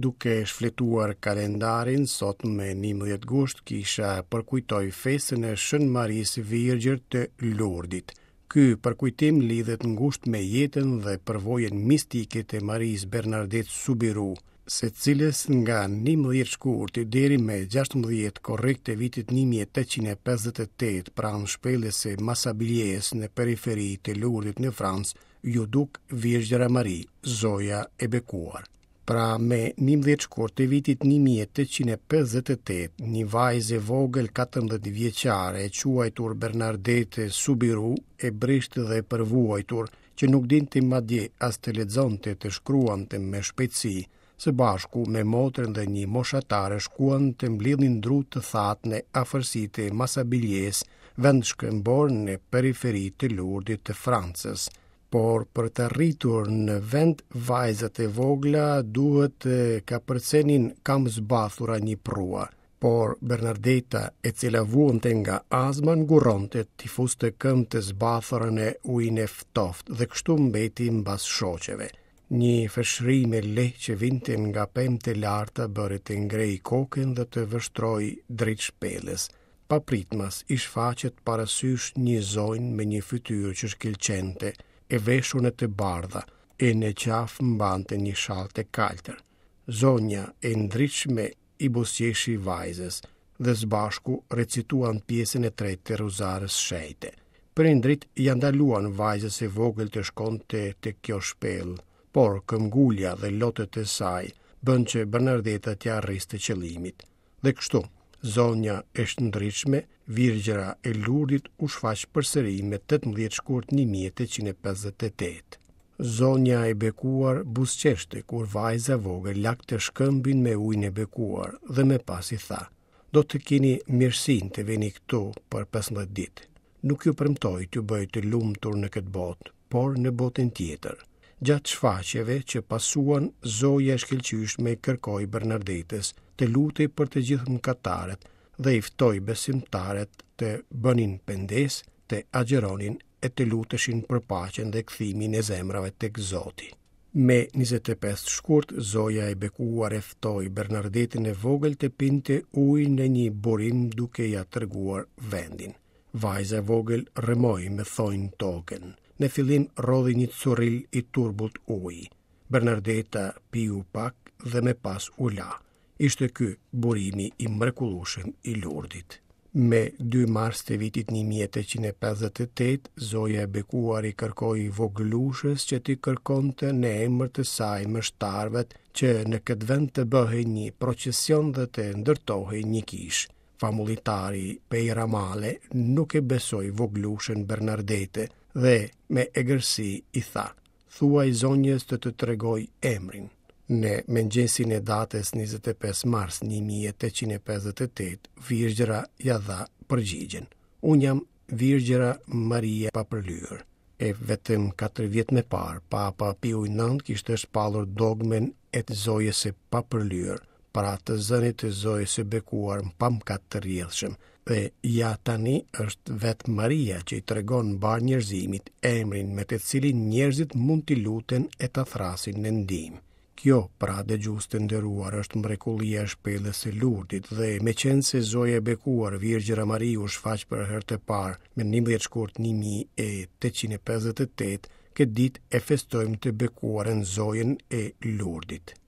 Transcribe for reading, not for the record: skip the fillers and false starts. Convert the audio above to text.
Duke shfletuar kalendarin, sot me 11 gusht kisha përkujtoi festën e Shën Marisë Virgjër të Lurdit. Ky përkujtim lidhet ngushtë me jetën dhe përvojën mistike të Marisë Bernardet Subiru, së cilës nga 11 shkurti deri me 16 korrik të vitit 1858 pranë shpellës së Masabiljes në periferi të Lurdit në Francë, iu duk Virgjëra Mari, Zoja e Bekuar. Pra me 11 shkurt të vitit 1858, një vajzë e vogël 14 vjeçare e quajtur Bernadette Subiru, e brishtë dhe e përvuajtur, që nuk dinte madje as të lexonte të shkruante me shpejtësi, së bashku me motrën dhe një moshatare shkuan të mblidhnin dru të thatë në afërsi të Masabiljes, vend shkëmbor në periferi të Lurdit të Francës. Por për të arritur në vend vajzat e vogla duhet të kapërcenin këmbëzbathura një përrua. Por Bernardeta, e cila vuante nga azma, ngurronte t'i fuste këmbët e zbathura në ujin e ftohtë dhe kështu mbeti mbas shoqeve. Një fëshërimë e lehtë që vinte nga pemët e larta bëri të ngrejë kokën dhe të vështrojë drejt shpellës. Papritmas i shfaqet para sysh një zonjë me një fytyrë që shkëlqente, e veshur në të bardha, e në qafë mbante një shall të kaltër. Zonja e ndritshme i buzëqeshi vajzës dhe së bashku recituan pjesën e tretë të Rozarës së Shenjtë. Prindërit ia ndaluan vajzës së vogël të shkonte te kjo shpellë, por këmbgulja dhe lotët e saj bënë që Bernardeta t'ia arriste qëllimit. Dhe kështu, zonja e shndritshme, Virgjëra e Lurdit u shfaq përsëri me 18 shkurt 1858. Zonja e bekuar buzëqeshte kur vajza e vogël lagte shkëmbin me ujin e bekuar dhe më pas i tha: "Do të keni mirësinë të vini këtu për 15 ditë. Nuk ju premtoj t'ju bëj të lumtur në këtë botë, por në botën tjetër." Gjatë shfaqjeve që pasuan, Zoja e shkëlqyeshme i kërkoi Bernardetës të lutej për të gjithë mëkatarët dhe i ftoi besimtarët të bënin pendesë, të agjëronin e të luteshin për paqen dhe kthimin e zemrave tek Zoti. Me 25 shkurt, Zoja e bekuar e ftoi Bernardetën e vogël të pinte ujë në një burim duke ia treguar vendin. Vajza e vogël rrëmoi me thonj tokën. Në fillim rrodhi një curril i turbullt uji. Bernardeta piu pak dhe më pas u la. Ishte ky burimi i mrekullueshëm i Lurdit. Me 2 mars të vitit 1858, Zoja e Bekuar i kërkoi vogëlushes që t'i kërkonte në emër të saj meshtarëve që në këtë vend të bëhej një procesion dhe të ndërtohej një kishë. Famullitari Pejramale nuk e besoi vogëlushen Bernardete dhe me egërsi i tha: Thuaj zonjës të të tregojë emrin. Në mëngjesin e datës 25 mars 1858, Virgjëra ia dha përgjigjen. Unë jam Virgjëra Maria e Papërlyer. E vetëm 4 vjet më parë, Papa Piu IX kishte shpallur dogmën e të Zojës së Papërlyer, pra të zënit të Zojës së Bekuar pa mëkat të rrjedhshëm, dhe ja tani është vetë Maria që i tregon mbarë njerëzimit emrin me të cilin njerëzit mund t'i luten e ta thërrasin në ndihmë. Kjo, pra dëgjues të nderuar, është mrekullia e shpellës së Lurdit dhe meqenëse Zoja e Bekuar Virgjëra Mari u shfaq për herë të parë me 11 shkurt 1858, këtë ditë e festojmë të bekuarën Zojën e Lurdit.